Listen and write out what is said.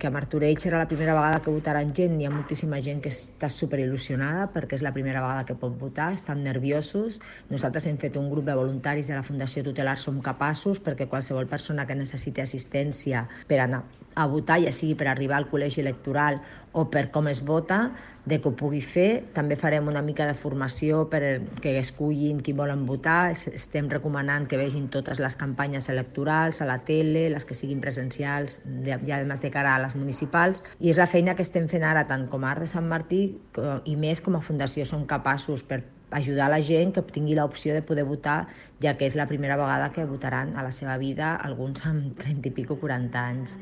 a Martorell serà la primera vegada que votaran gent. Hi ha moltíssima gent que està superil·lusionada perquè és la primera vegada que pot votar, estan nerviosos. Nosaltres hem fet un grup de voluntaris de la Fundació Tutelar Som Capaços perquè qualsevol persona que necessiti assistència per anar a votar, ja sigui per arribar al col·legi electoral o per com es vota, de que ho pugui fer. També farem una mica de formació perquè escullin qui volen votar. Estem recomanant que vegin totes les campanyes electorals a la tele, les que siguin presencials, ja a més de cara a les municipals. I és la feina que estem fent ara, tant com a Arc de Sant Martí i més com a Fundació Som Capaços, per ajudar la gent que tingui l'opció de poder votar, ja que és la primera vegada que votaran a la seva vida, alguns amb 30 i pico, 40 anys.